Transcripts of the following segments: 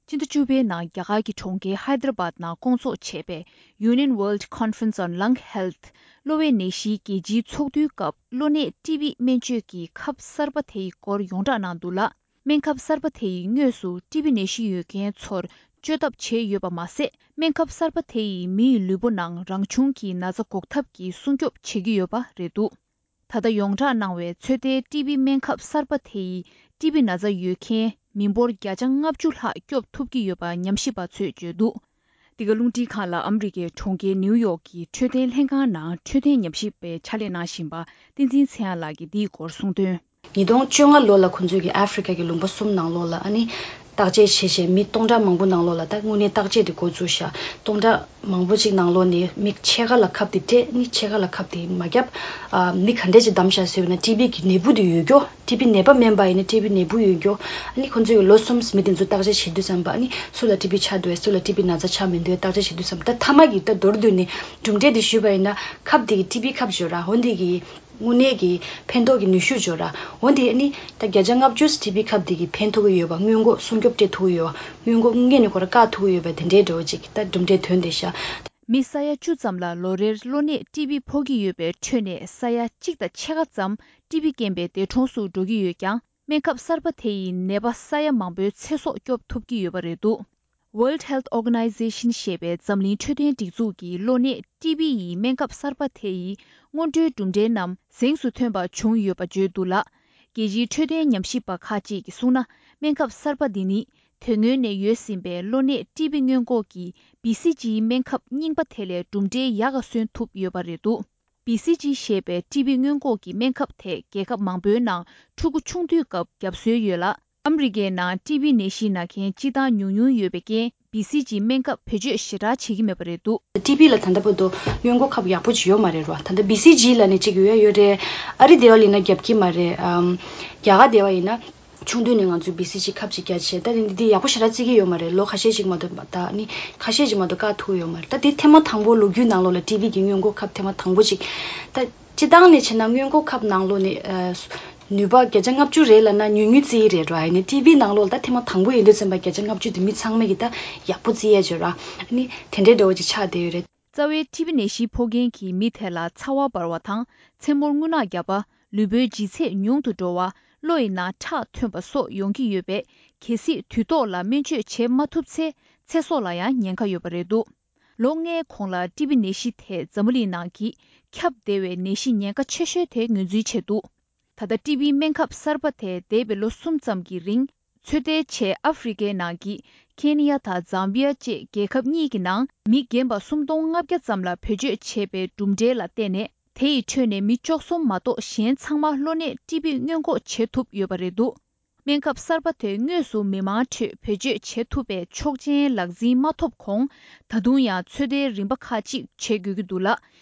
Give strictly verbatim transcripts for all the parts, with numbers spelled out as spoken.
ཕྱི་ཟླ་བཅུ་པའི་ནང་རྒྱ་གར་གྱི་གྲོང་ཁྱེར་ཧའི་དར་བཱད་ནང་བསྐོང་ཚོགས་བྱས་པའི་Union World Conference on Lung Health གློ་བའི་ནད་གཞིའི་རྒྱལ་སྤྱིའི་ཚོགས་འདུའི་སྐབས་གློ་ནད་ཊི་བི་སྨན་བཅོས་ཀྱི་ཁབ་གསར་པ་དེ་ཡི་སྐོར་ཡོངས་གྲགས་གནང་འདུག་ལ། སྨན་ཁབ་གསར་པ་དེ་ཡིས་དངོས་སུ་ཊི་བི་ནད་གཞི་ཡོད་མཁན་ཚོར་བཅོས་ཐབས་བྱས་ཡོད་པ་མ་ཟད། སྨན་ཁབ་གསར་པ་དེ་ཡིས་མི་ཡི་ལུས་པོ་ནང་རང་བྱུང་གི་ན་ཚ་འགོག་ཐབས་ཀྱི་སྲུང་སྐྱོབ་བྱེད་ཀྱི་ཡོད་པ་རེད་འདུག་ད་ལྟ་ཡོངས་གྲགས་གནང་བའི་ཚོད་ལྟའི་ཊི་བི་སྨན་ཁབ་གསར་པ་དེ་ཡིས་ཊི་བི་ན་ཚ་ཡོད་མཁན་མི་འབོར་བརྒྱ་ཆ་ལྔ་བཅུ་ལྷག་སྐྱོབ་ཐུབ་ཀྱི་ཡོད་པ་ཉམས་ཞིབ་པ་ཚོས་བརྗོད་འདུག་འདི་ག་རླུང་འཕྲིན་ཁང་ལ་ཨ་མི་རི་ཀའི་གྲོང་ཁྱེར་ནིའུ་ཡོག་གི་འཕྲོད་བསྟེན་ལྷན་ཁང་ནང་འཕྲོད་བསྟེན་ཉམས་ཞིབ་པའི་ཕྱག་ལས་གནང་བཞིན་པ་བསྟན་འཛིན་ཚེ་དབྱངས་ལགས་ཀྱིས་འདིའི་སྐོར་གསུངས་དོན། ཉིས་སྟོང་བཅོ་ལྔ་ལོ་ལ་ཁོང་ཚོས་ཀྱི་ཨ་ཧྥི་རི་ཀ་གི་ལུང་པ་གསུམ་ནང་ལོགས་ལ་ཨ་ནི་བརྟག་དཔྱད་བྱས་བྱས་མི་སྟོང་ཕྲག་མང་པོ་ནང་ལོགས་ལ་ད་དངོས་གནས་བརྟག་དཔྱད་དེ་འགོ་བཙུགས་ཤག་སྟོང་ཕྲག་མང་པོ་ཅིག་ནང་ལོགས་ནས་མི་ཕྱེད་ཀ་ལ་ཁབ་དེ་སྤྲད། ནི་ཕྱེད་ཀ་ལ་ཁབ་དེ་མ་བརྒྱབ། ཨ་མི་ག་འདྲས་ཅིག་བདམས་ཤག་ཟེར་བ་ན་ཊི་བི་གི་ནད་འབུ་དེ་ཡོད་རྒྱུ། ཊི་བི་ནད་པ་མིན་པ་ཡིན་ན་ཊི་བི་ནད་འབུ་ཡོད་རྒྱུ། ཨ་ནི་ཁོང་ཚོས་ཀྱི་ལོ་གསུམ་མི་དེ་ཚོ་བརྟག་དཔྱད་བྱེད་དུས་ཙམ་པ་ཨ་ནི་སུ་ལ་ཊི་བི་ཆགས་འདུག་སུ་ལ་ཊི་བི་ན་ཚ་ཆགས་མི་འདུག་བརྟག་དཔྱད་བྱེད་དུས་ཙམ་པ་ད་མཐའ་མ་གི་ད་མདོར་བསྡུས་ནས་གྲུབ་འབྲས་དེ་ཞུས་པ་ཡིན་ན་ཁབ་དེ་གི་ཊི་བི་ཁབ་བརྗོད་ར། འོན་ཏེ་གི་དངོས་གནས་ཀྱི་ཕན་ཐོགས་ཀྱི་ནུས་ཤུགས་འབྱོར་ར། འོན་ཏེ་ནི་ད་བརྒྱ་ཆ་ལྔ་བཅུ་ཊི་བི་ཁབ་དེ་གིས་ཕན་ཐོགས་ཀྱི་ཡོད་པ། སྔོན་འགོག་སྲུང་སྐྱོབ་སྤྲད་ཐུབ་ཀྱི་ཡོད་པ། སྔོན་འགོག་སྔོན་ནས་ཁོ་ར་བཀག་ཐུབ་ཀྱི་ཡོད་པ་དེ་འདྲའི་འདྲ་བོ་ཅིག་ད་གྲུབ་འབྲས་ཐོན་བསྡད་ཤག་མི་ས་ཡ་བཅུ་ཙམ་ལ་ལོ་རེར་གློ་ནད་ཊི་བི་ཕོག་གི་ཡོད་པའི་ཁྲོད་ནས་ས་ཡ་གཅིག་དང་ཕྱེད་ཀ་ཙམ་ཊི་བི་རྐྱེན་པས་འདས་གྲོངས་སུ་འགྲོ་གི་ཡོད་ཀྱང་། སྨན་ཁབ་གསར་པ་དེ་ཡིས་ནད་པ་ས་ཡ་མང་པོའི་ཚེ་སྲོག་སྐྱོབ་ཐུབ་ཀྱི་ཡོད་པ་རེད་འདུག World Health Organization ཞེས་པའི་འཛམ་གླིང་འཕྲོད་བསྟེན་སྒྲིག་འཛུགས་ཀྱིས་གློ་ནད་ཊི་བི་ཡི་སྨན་ཁབ་གསར་པ་དེ་ཡི་སྔོན་འགྲོའི་གྲུབ་འབྲས་རྣམས་གཟེངས་སུ་ཐོན་པ་བྱུང་ཡོད་པ་བརྗོད་འདུག་ལ། རྒྱལ་སྤྱིའི་འཕྲོད་བསྟེན་ཉམས་ཞིབ་པ་ཁག་ཅིག་གིས་གསུངས་ན། སྨན་ཁབ་གསར་པ་འདི་ནི་དེ་སྔོན་ནས་ཡོད་ཟིན་པའི་གློ་ནད་ཊི་བི་སྔོན་འགོག་གི་བི་སི་ཇིའི་སྨན་ཁབ་རྙིང་པ་དེ་ལས་གྲུབ་འབྲས་ཡག་ག་སོན་ཐུབ་ཡོད་པ་རེད་འདུག་བི་སི་ཇི་ཞེས་པའི་ཊི་བི་སྔོན་འགོག་གི་སྨན་ཁབ་དེ་རྒྱལ་ཁབ་མང་པོའི་ནང་ཕྲུ་གུ་ཆུང་དུས་སྐབས་བརྒྱབ་སྲོལ་ཡོད་ལ། ཨ་མི་རི་ཀའི་ནང་ཊི་བི་ནད་གཞི་ན་མཁན་སྤྱི་བཏང་ཉུང་ཉུང་ཡོད་པའི་རྐྱེན་བི་སི་ཇི་སྨན་ཁབ་བེད་སྤྱོད་ཞེ་དྲག་བྱེད་ཀྱི་མེད་པ་རེད་འདུག་ཊི་བི་ལ་ད་ལྟ་བར་དུ་སྔོན་འགོག་ཁབ་ཡག་པོ་ཅིག་ཡོད་མ་རེད་རོ། ད་ལྟ་བི་སི་ཇི་ལ་ནི་ཅིག་ཡོད་ཡོད་རེད། ཨ་རི་དེ་བ་ལི་ན་རྒྱབ་ཀྱི་མ་རེད། ཨམ། རྒྱ་གར་དེ་བ་ཡིན་ན། ཆུང་དུས་ནས་ང་ཚོས་བི་སི་ཇི་ཁབ་ཅིག་བརྒྱབ་བྱས། ད་ནི་འདི་ཡག་པོ་ཞེ་དྲག་བརྩི་གི་ཡོད་མ་རེད། ལོ་ཁ་ཤས་ཅིག་མ་གཏོགས་ད་ནི་ཁ་ཤས་ཅིག་མ་གཏོགས་བཀག་ཐུབ་ཡོད་མ་རེད། ད་འདི་ཐེངས་མ་དང་པོ་ལོ་རྒྱུས་ནང་ལོགས་ལ་ཊི་བི་གི་སྔོན་འགོག་ཁབ་ཐེངས་མ་དང་པོ་ཅིག་ད་སྤྱི་བཏང་ནས་བྱས་ན་སྔོན་འགོག་ཁབ་ནང་ལོགས་ནས་ཨ་ནུས་པ་བརྒྱ་ཆ་ལྔ་བཅུ་རེད་ལབ་ན་ཉུང་ཉུང་བརྩི་ཡི་རེད་ར། ཡིན་ནའི་ཊི་བི་ནང་ལོགས་ལ་ད་ཐེངས་མ་དང་པོ་ཡིན་དུས་ཙམ་པ་བརྒྱ་ཆ་ལྔ་བཅུ་དེ་མི་ཚང་མས་ཀྱི་ད་ཡག་པོ་བརྩི་ཡས་བརྗོད་ར། ཨ་ནི་དེ་འདྲའི་འདྲ་བོ་ཅིག་ཆགས་བསྡད་ཡོད་རེད། རྩ་བའི་ཊི་བི་ནད་གཞི་ཕོག་མཁན་གྱི་མི་དེ་ལ་ཚ་བ་འབར་བ་དང་མཚན་མོར་རྔུལ་ནག་བརྒྱབ་པ། ལུས་པོའི་ལྗིད་ཚད་ཉུང་དུ་འགྲོ་བ། གློ་ཡི་ནང་ཁྲག་ཐོན་པ་སོགས་ཡོང་གི་ཡོད་པས། གལ་སྲིད་དུས་ཐོག་ལ་སྨན་བཅོས་བྱེད་མ་ཐུབ་ཚེ་ཚེ་སྲོག་ལ་ཡང་ཉེན་ཁ་ཡོད་པ་རེད་འདུག་ལོ་ལྔའི་གོང་ལ་ཊི་བི་ནད་གཞི་དེ་འཛམ་བུ་གླིང་ནང་གི་ཁྱབ་བདེ་བའི་ནད་གཞི་ཉེན་ཁ་ཆེ་ཤོས་དེ་ངོས་འཛིན་བྱས་འདུག་ད་ལྟ་ཊི་བི་སྨན་ཁབ་གསར་པ་དེ་འདས་པའི་ལོ་གསུམ་ཙམ་གྱི་རིང་ཚོད་ལྟའི་ཆེད་ཨ་ཧྥི་རི་ཀའི་ནང་གི་ཁེ་ནི་ཡ་དང་ཛམ་བི་ཡ་བཅས་རྒྱལ་ཁབ་གཉིས་ཀྱི་ནང་མི་རྒན་པ་སུམ་སྟོང་ལྔ་བརྒྱ་ཙམ་ལ་བེད་སྤྱོད་བྱས་པའི་གྲུབ་འབྲས་ལ་བརྟེན་ནས། དེ་ཡི་ཁྲོད་ནས་མི་བཅུ་གསུམ་མ་གཏོགས་གཞན་ཚང་མ་གློ་ནད་ཊི་བི་སྔོན་འགོག་བྱེད་ཐུབ་ཡོད་པ་རེད་འདུག་སྨན་ཁབ་གསར་པ་དེ་དངོས་སུ་མི་མང་ཁྲོད་བེད་སྤྱོད་བྱེད་ཐུབ་པའི་ཆོག་མཆན་ལག་འཛིན་མ་ཐོབ་གོང་། ད་དུང་ཡང་ཚོད་ལྟའི་རིམ་པ་ཁག་ཅིག་བྱེད་དགོས་ཀྱི་འདུག་ལ།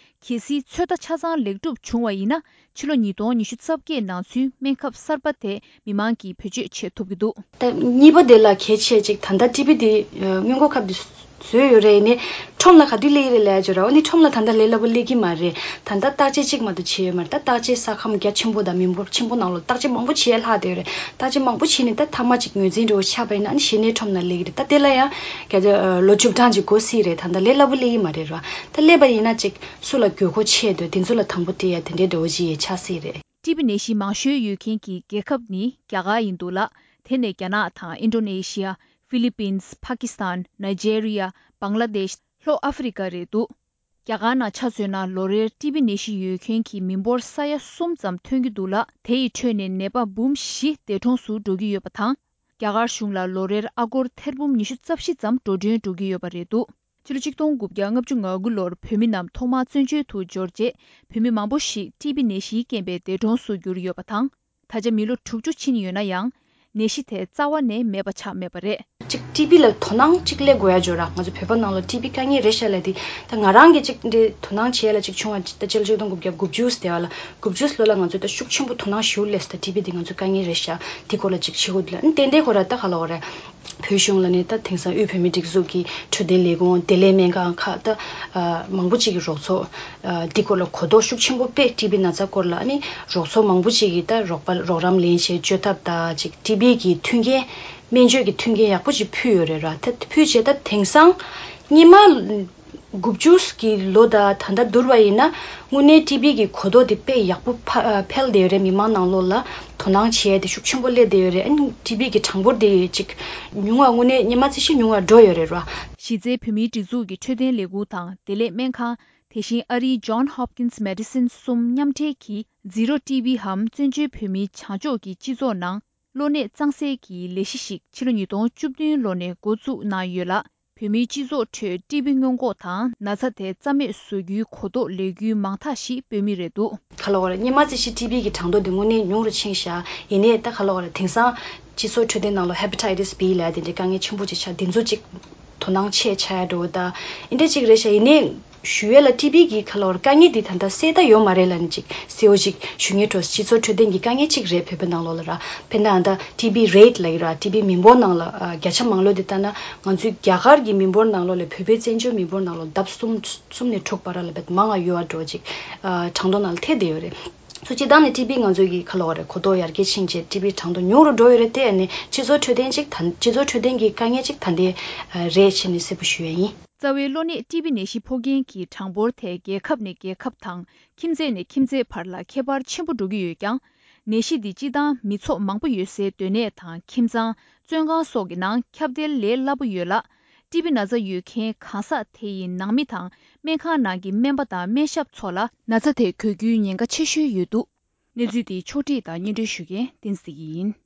གལ་སྲིད་ཚོད་ལྟ་ཆ་ཚང་ལེགས་གྲུབ་བྱུང་བ་ཡིན་ན། ཕྱི་ལོ་ཉིས་སྟོང་ཉི་ཤུ་རྩ་བརྒྱད་ནང་ཚུན་སྨན་ཁབ་གསར་པ་དེ་མི་མང་གིས་བེད་སྤྱོད་བྱེད་ཐུབ་ཀྱི་འདུག་ད་གཉིས་པ་དེ་ལ་གལ་ཆེ་ཅིག་ད་ལྟ་ཊི་བི་དེ་སྔོན་འགོག་ཁབ་དེ་བཟོས་ཡོད་རེད། ཡིན་ནའི་ཁྲོམ་ལ་ག་དུས་སླེབས་ཀྱི་རེད་ལབ་ཡ་ཅིག་ཡོད་ར། འོ་ནི་ཁྲོམ་ལ་ད་ལྟ་ལས་སླ་པོ་སླེབས་ཀྱི་མ་རེད། ད་ལྟ་བརྟག་དཔྱད་གཅིག་མ་གཏོགས་བྱས་ཡོད་མ་རེད། ད་བརྟག་དཔྱད་ས་ཁམས་རྒྱ་ཆེན་པོ་དང་མི་འབོར་ཆེན་པོ་ནང་ལོགས་བརྟག་དཔྱད་མང་པོ་བྱས་ལྷག་བསྡད་ཡོད་རེད། བརྟག་དཔྱད་མང་པོ་བྱས་ནས་ད་མཐའ་མ་ཅིག་ངོས་འཛིན་འདྲ་བོ་ཆགས་པ་ཡིན་ན་ཨ་ནི་གཞི་ནས་ཁྲོམ་ནང་སླེབས་ཀྱི་རེད། ད་དེ་ལ་ཡང་ག་ཚོད་ལོ་བཅུ་གྲངས་ཅིག་འགོར་སྲིད་རེད། ད་ལྟ་ལས་སླ་པོ་སླེབས་ཀྱི་མ་རེད་ར། ད་སླེབས་པ་ཡིན་ན་ཅིག་སུ་ལ་དགོས་མཁོ་ཆེ་འདུག་དེ་ཚོ་ལ་དང་པོ་སྤྲད་ཡ་དེ་འདྲའི་འདྲ་བོ་ཅིག་ཆགས་སྲིད་རེད། ཊི་བི་ནད་གཞི་མང་ཤོས་ཡོད་མཁན་གྱི་རྒྱལ་ཁབ་ནི་རྒྱ་གར་ཡིན་འདུག་ལ། དེ་ནས་རྒྱ་ནག་དང་ཨིན་ཌོ་ནེ་ཤི་ཡ། ཧྥི་ལི་པིན། པ་ཀི་སི་ཐན། ནཱི་ཇེ་རི་ཡ། བང་ལ་དེཤ། ལྷོ་ཨ་ཧྥི་རི་ཀ་རེད་འདུག་རྒྱ་གར་ནང་ཆ་མཚོན་ན་ལོ་རེར་ཊི་བི་ནད་གཞི་ཡོད་མཁན་གྱི་མི་འབོར་ས་ཡ་གསུམ་ཙམ་ཐོན་གྱི་འདུག་ལ། དེ་ཡི་ཁྲོད་ནས་ནད་པ་འབུམ་བཞི་འདས་གྲོངས་སུ་འགྲོ་གི་ཡོད་པ་དང་། རྒྱ་གར་གཞུང་ལ་ལོ་རེར་ཨ་སྒོར་ཐེར་འབུམ་ཉི་ཤུ་རྩ་བཞི་ཙམ་འགྲོ་གྲོན་འགྲོ་གི་ཡོད་པ་རེད་འདུག་ཕྱི་ལོ་ཆིག་སྟོང་དགུ་བརྒྱ་ལྔ་བཅུ་ང་དགུ་ལོར་བོད་མི་རྣམས་ཐོག་མར་བཙན་བྱོལ་དུ་འབྱོར་རྗེས་བོད་མི་མང་པོ་ཞིག་ཊི་བི་ནད་གཞིའི་རྐྱེན་པས་འདས་གྲོངས་སུ་གྱུར་ཡོད་པ་དང་། ད་ཆ་མི་ལོ་དྲུག་ཅུ་ཕྱིན་ཡོད་ན་ཡང་ནད་གཞི་དེ་རྩ་བ་ནས་མེད་པ་ཆགས་མེད་པ་རེད། ཅིག་ཊི་བི་ལ་དོ་སྣང་ཅིག་སླེབས་དགོས་ཡ་ཅིག་ཡོད་ར། ང་ཚོ་བོད་པ་ནང་ལ་ཊི་བི་དཀའ་ངལ་རེད་ཤག་ལབ་དེ་ད་ང་རང་གིས་ཅིག་འདི་དོ་སྣང་བྱེད་ཡ་ལ་ཅིག་བྱུང་བ་ཅིག་ད་ཕྱི་ལོ་ཆིག་སྟོང་དགུ་བརྒྱ་དགུ་བཅུ་ཟེར་བ་ལ་དགུ་བཅུ་ལོ་ལ་ང་ཚོ་ད་ཤུགས་ཆེན་པོ་དོ་སྣང་ཞེ་པོ་སླེབས་སོང་། ད་ཊི་བི་དེ་ང་ཚོ་དཀའ་ངལ་རེད་ཤག་དེ་སྐོར་ལ་ཅིག་བྱེད་དགོས་འདུག་ལ། ཨ་ནི་ཏན་ཏན་ཁོ་ར་ད་ག་ལབ་དགོས་རེད། བོད་གཞུང་ལ་ནི་ད་དེང་སང་དབུས་བོད་མིའི་སྒྲིག་འཛུགས་ཀྱི་འཕྲོད་བསྟེན་ལས་ཁུངས་བདེ་ལེགས་སྨན་ཁང་ཁག་ད་ཨ་མང་པོ་ཅིག་གི་རོགས་ཚོགས་ཨ་འདི་སྐོར་ལ་གོ་རྟོགས་ཤུགས་ཆེན་པོ་སྤེལ། ཊི་བི་ན་ཚ་སྐོར་ལ་ཨ་ནི་རོགས་ཚོགས་མང་པོ་ཅིག་གིས་ད་རོགས་པ་རོགས་རམ་ལེན་བྱས་བཅོས་ཐབས་ད་ཅིག་ཊི་བི་གི་མཐུན་རྐྱེན་ སྨན་བཅོས་ཀྱི་མཐུན་རྐྱེན་ཡག་པོ་ཞིག་ཕུལ་ཡོད་རེད་ར། ད་ཕུལ་བྱས་ད་དེང་སང་སྔོན་མ་དགུ་བཅུ་གི་ལོ་དང་ད་ལྟ་བསྡུར་བ་ཡིན་ན་དངོས་གནས་ཊི་བི་གི་གོ་རྟོགས་དེ་དཔེ་ཡག་པོ་འཕ- འཕེལ་བསྡད་ཡོད་རེད། མི་མང་ནང་ལོགས་ལ་དོ་སྣང་བྱེད་ཡས་དེ་ཤུགས་ཆེན་པོ་སླེབས་བསྡད་ཡོད་རེད། ཨ་ནི་ཊི་བི་གི་གྲངས་འབོར་དེ་ཅིག་ཉུང་བ་དངོས་གནས་སྔོན་མ་ཚོད་ཅིག་ཉུང་བ་འགྲོ་ཡོད་རེད་ར། གཞི་རྩའི་བོད་མིའི་སྒྲིག་འཛུགས་ཀྱི་འཕྲོད་བསྟེན་ལས་ཁུངས་དང་བདེ་ལེགས་སྨན་ཁང་། དེ་བཞིན་ཨ་རིའི་John Hopkins Medicine གསུམ་མཉམ་འབྲེལ་གྱིས་Zero T B འམ་བཙན་བྱོལ་བོད་མིའི་བྱང་ཕྱོགས་ཀྱི་སྤྱི་ཚོགས་ནང་གློ་ནད་གཙང་སེལ་གྱི་ལས་གཞི་ཞིག་ཕྱི་ལོ་ཉིས་སྟོང་བཅུ་བདུན་ལོ་ནས་འགོ་བཙུགས་གནང་ཡོད་ལ། བོད་མིའི་སྤྱི་ཚོགས་ཁྲོད་ཊི་བི་སྔོན་འགོག་དང་ན་ཚ་དེ་རྩ་མེད་བཟོ་རྒྱུའི་གོ་རྟོགས་ལས་འགུལ་མང་དག་ཞིག་སྤེལ་མུས་རེད་འདུག། ག་ལ་བ་རེད། སྔོན་མ་ཚོད་ཅིག་ཊི་བི་གི་གྲངས་ཐོ་དེ་དངོས་གནས་ཉུང་རུ་ཕྱིན་ཤག། ཡིན་ནའི་ད་ག་ལ་བ་རེད། དེང་སང་སྤྱི་ཚོགས་འཕྲོད་བསྟེན་ནང་ལ་Hepatitis B ལབ་དེ་འདྲའི་དཀའ་ངལ་ཆེན་པོ་ཅིག་ཆགས། དེ་ཚོ་ཅིག་དོ་སྣང་ཆེ་ཆགས་ཡ་འགྲོ་ད་ཨེ་འདྲ་ཅིག་རེད་ཤག། ཡིན་ནའི་ཞུ་ཡས་ལ་ཊི་བི་གི་ག་ལ་བ་རེད། དཀའ་ངལ་འདི་ད་ལྟ་སེལ་ད་ཡོད་མ་རེད་ལབ་ནས་ཅིག་གསལ་བོ་ཅིག་ཞུ་ངེས་འགྲོ། སྤྱི་ཚོགས་འཕྲོད་བསྟེན་གྱི་དཀའ་ངལ་ཅིག་རེད། བོད་པའི་ནང་ལོགས་ལ་ར། དཔེར་ན་ད་ཊི་བི་རེཊ་ལབ་ཀྱི་ར། ཊི་བི་མི་འབོར་ནང་ལ་ཨ་བརྒྱ་ཆ་མང་ལོས་དེ་ལྟ་ན་ང་ཚོའི་རྒྱ་གར་གྱི་མི་འབོར་ནང་ལོགས་ལས་བོད་པའི་བཙན་བྱོལ་མི་འབོར་ནང་ལོགས་ལྡབ་གསུམ་གསུམ་ནས་དྲུག་བར་ལ་བེད་མང་ང་ཡོད་པ་འགྲོ་ཅིག་ཨ་གྲངས་ཐོ་ནང་ལ་ཐེ་བསྡད་ཡོད་རེད། སོ་སྤྱིར་བཏང་ནས་ཊི་བི་ང་ཚོའི་གི་ག་ལ་བ་རེད། གོ་རྟོགས་ཡར་རྒྱས་ཕྱིན་རྗེས་ཊི་བི་གྲངས་ཐོ་ཉུང་རུ་འགྲོ་ཡོད་རེད་དེ། ཨ་ནི་སྤྱི་ཚོགས་འཕྲོད་བསྟེན་ཅིག་ད་སྤྱི་ཚོགས་འཕྲོད་བསྟེན་གྱི་དཀའ་ངལ་ཅིག་ད་ལྟའི་ཨ་རེད་བྱས་ནས་གསལ་པོ་ཞུ་ཡ་ཡིན། རྩ་བའི་གློ་ནད་ཊི་བི་ནད་གཞི་ཕོག་མཁན་གྱི་གྲངས་འབོར་དེ་རྒྱལ་ཁབ་ནས་རྒྱལ་ཁབ་དང་ཁྱིམ་མཚེས་ནས་ཁྱིམ་མཚེས་བར་ལ་ཁྱད་པར་ཆེན་པོ་འགྲོ་གི་ཡོད་ཀྱང་། ནད་གཞི་འདི་སྤྱིར་བཏང་མི་ཚོགས་མང་པོ་ཡོད་སའི་སྡོད་གནས་དང་ཁྱིམ་ཚང་། བཙོན་ཁང་སོགས་ཀྱི་ནང་ཁྱབ་གདལ་ལས་སླ་པོ་ཡོད་ལ། ཊི་བི་ན་ཚ་ཡོད་མཁན་གང་ཟག་དེ་ཡི་ནང་མི་དང་སྨན་ཁང་ནང་གི་སྨན་པ་དང་སྨན་ཞབས་ཚོ་ལ་ན་ཚ་དེ་འགོས་རྒྱུའི་ཉེན་ཁ་ཆེ་ཤོས་ཡོད་འདུག། གནས་ཚུལ་འདི་ཕྱོགས་སྒྲིག་དང་སྙན་སྒྲོན་ཞུ་མཁན་བསྟན་འཛིན་ཡིན།